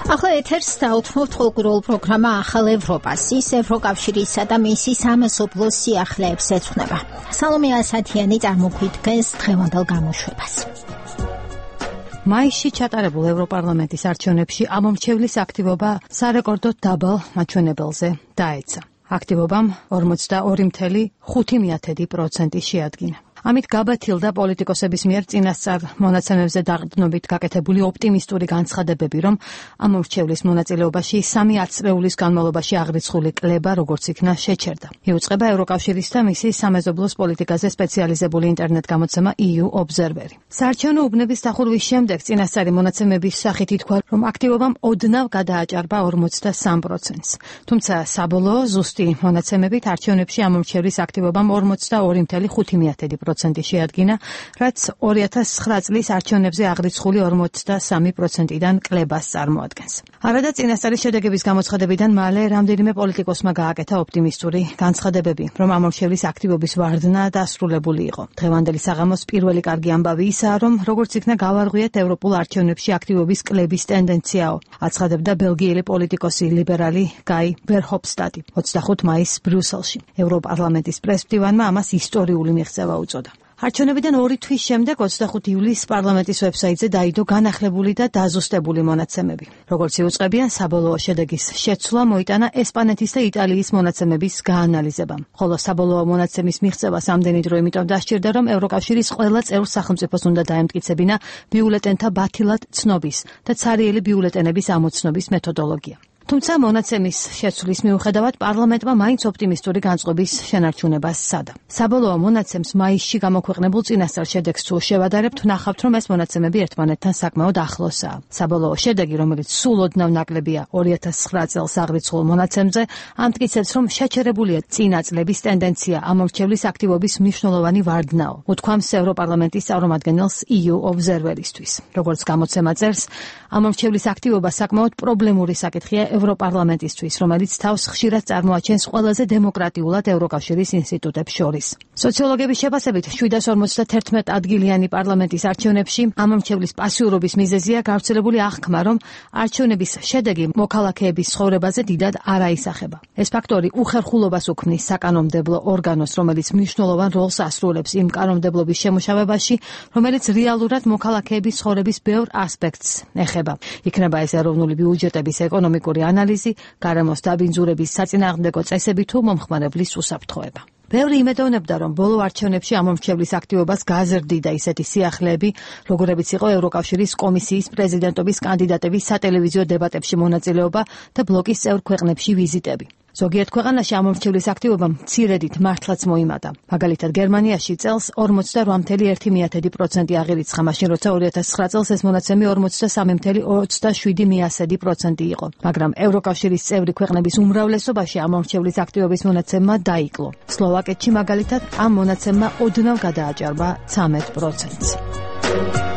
ახლა ეთერს დაუთმობთ კულტურულ პროგრამა ახალ ევროპას. ის ევროკავშირისა და მისი სამეზობლოს სიახლეებს ეძღვნება. სალომე ასათიანი წარმოგვიდგენს დღევანდელ გამოშვებას. მაისში ჩატარებულ ევროპარლამენტის არჩევნებში ამომრჩევლის აქტივობა სარეკორდოდ დაბალ მაჩვენებელზე დაეცა. აქტივობამ 42.5% შეადგინა. ამით გაბათილდა პოლიტიკოსების მიერ წინასწარ მონაცემებზე დაყრდნობით გაკეთებული ოპტიმისტური განცხადებები, რომ ამომრჩევლის მონაწილეობაში 3 ათწლეულის განმავლობაში აღრიცხული კლება როგორც იქნა შეჩერდა. იუწყება ევროკავშირის და მისი სამეზობლოს პოლიტიკაზე სპეციალიზებული ინტერნეტ-გამოცემა EU Observer. საარჩევნო უბნების დახურვის შემდეგ წინასწარი მონაცემების სახით ითქვა, რომ აქტივობამ ოდნავ გადააჭარბა 43%-ს. თუმცა საბოლოო ზუსტი მონაცემებით არჩევნებში ამომრჩევლის აქტივობამ 42.5% შეადგინა, რაც 2009 წლის არჩევნებზე აღრიცხული 43%-დან კლებას წარმოადგენს. არადა წინასწარი შედეგების გამოცხადებიდან მალე რამდენიმე პოლიტიკოსმა გააკეთა ოპტიმისტური განცხადებები, რომ ამომრჩევლის აქტივობის ვარდნა დასრულებული იყო. დღევანდელი საღამოს პირველი კარგი ამბავი ისაა, რომ როგორც იქნა გავარღვიეთ ევროპულ არჩევნებში აქტივობის კლების ტენდენციაო, აცხადებდა ბელგიელი პოლიტიკოსი ლიბერალი გაი ვერჰოფსტატი 25 მაისს ბრიუსელში. ევროპარლამენტის პრესმდივანმა ამას ისტორიული მიღწევა უწოდა. არჩევნებიდან 2 თვის შემდეგ 25 ივლისს პარლამენტის ვებსაიტზე დაიდო განახლებული და დაზუსტებული მონაცემები. როგორც იუწყებიან, საბოლოო შედეგის შეცვლა მოიტანა ესპანეთის და იტალიის მონაცემების გაანალიზებამ. ხოლო საბოლოო მონაცემის მიღწევას ამდენი დრო იმიტომ დასჭირდა, რომ ევროკავშირის ყველა წევრ სახელმწიფოს უნდა დაემტკიცებინა ბიულეტენთა ბათილად ცნობის და ცარიელი ბიულეტენების ამოცნობის მეთოდოლოგია. თუმცა მონაცემის შეცვლის მიუხედავად პარლამენტმა მაინც ოპტიმისტური განწყობის შენარჩუნებას სცადა. საბოლოო მონაცემს მაისში გამოქვეყნებულ წინასწარ შედეგს თუ შევადარებთ, ვნახავთ, რომ ეს მონაცემები ერთმანეთთან საკმაოდ ახლოსაა. საბოლოო შედეგი, რომელიც სულ ოდნავ ნაკლებია 2009 წელს აღრიცხულ მონაცემზე, ამტკიცებს, რომ შეჩერებულია წინა წლების ტენდენცია ამომრჩევლის აქტივობის მნიშვნელოვანი ვარდნაო, უთქვამს ევროპარლამენტის წარმომადგენელს EU Observer-ისთვის. როგორც გამოცემა წერს, ამომრჩევლის აქტივობა საკმაოდ პრობლემური საკითხია ევროპარლამენტისთვის, რომელიც თავს ხშირად წარმოაჩენს ყველაზე დემოკრატიულად ევროკავშირის ინსტიტუტებს შორის. სოციოლოგების შეფასებით 751 ადგილიანი პარლამენტის არჩევნებში ამომრჩევლის პასიურობის მიზეზია გავრცელებული აღქმა, რომ არჩევნების შედეგი მოქალაქეების ცხოვრებაზე დიდად არ აისახება. ეს ფაქტორი უხერხულობას უქმნის საკანონმდებლო ორგანოს, რომელიც მნიშვნელოვან როლს ასრულებს იმ კანონმდებლობის შემუშავებაში, რომელიც რეალურად მოქალაქეების ცხოვრების ბევრ ასპექტს ეხება. იქნება ეს ეროვნული ბიუჯეტების ეკონომიკური ანალიზი, გარემოს დაბინძურების საწინააღმდეგო წესები თუ მომხმარებლის უსაფრთხოება. ბევრი იმედოვნებდა, რომ ბოლო არჩევნებში ამომრჩევლის აქტივობას გაზრდიდა ისეთი სიახლეები, როგორებიც იყო ევროკავშირის კომისიის პრეზიდენტობის კანდიდატების სატელევიზიო დებატებში მონაწილეობა და ბლოკის წევრ ქვეყნებში ვიზიტები. ზოგიერთ ქვეყანაში ამომრჩევლის აქტივობამ მცირედით მართლაც მოიმატა. მაგალითად, გერმანიაში წელს 48.1% აღირიცხა, მაშინ როცა 2009 წელს ეს მონაცემი 43.27% იყო. მაგრამ ევროკავშირის წევრი ქვეყნების უმრავლესობაში ამომრჩევლის აქტივობის მონაცემმა დაიკლო. სლოვაკეთში მაგალითად ამ მონაცემმა ოდნავ გადააჭარბა 13%-ს.